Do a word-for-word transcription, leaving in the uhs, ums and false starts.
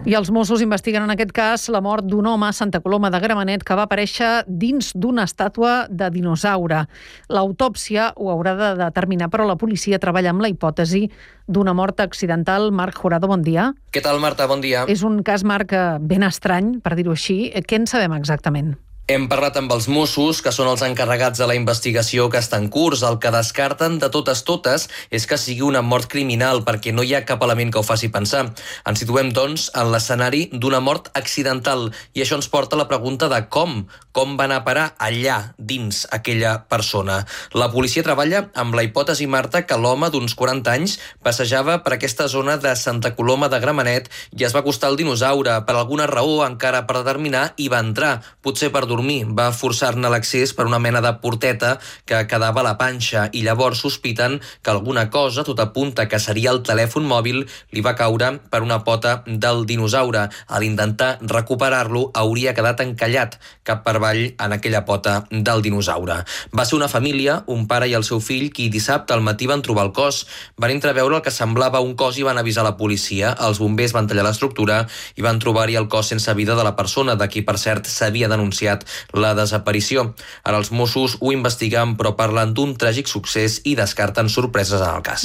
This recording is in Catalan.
I els Mossos investiguen en aquest cas la mort d'un home a Santa Coloma de Gramenet que va aparèixer dins d'una estàtua de dinosaure. L'autòpsia ho haurà de determinar, però la policia treballa amb la hipòtesi d'una mort accidental. Marc Jurado, bon dia. Què tal, Marta? Bon dia. És un cas, Marc, ben estrany, per dir-ho així. Què en sabem exactament? Hem parlat amb els Mossos, que són els encarregats de la investigació que està en curs. El que descarten de totes totes és que sigui una mort criminal, perquè no hi ha cap element que ho faci pensar. Ens situem, doncs, en l'escenari d'una mort accidental, i això ens porta a la pregunta de com, com va anar a parar allà, dins aquella persona. La policia treballa amb la hipòtesi, Marta, que l'home d'uns quaranta anys passejava per aquesta zona de Santa Coloma de Gramenet i es va acostar al dinosaure. Per alguna raó, encara per determinar, hi va entrar, potser per dormir. Va forçar-ne l'accés per una mena de porteta que quedava a la panxa, i llavors sospiten que alguna cosa, tot apunta que seria el telèfon mòbil, li va caure per una pota del dinosaure. A l'intentar recuperar-lo hauria quedat encallat cap per avall en aquella pota del dinosaure. Va ser una família, un pare i el seu fill, qui dissabte al matí van trobar el cos. Van entreveure el que semblava un cos i van avisar la policia. Els bombers van tallar l'estructura i van trobar-hi el cos sense vida de la persona, de qui, per cert, s'havia denunciat la desaparició. Ara els Mossos ho investiguen, però parlen d'un tràgic succés i descarten sorpreses en el cas.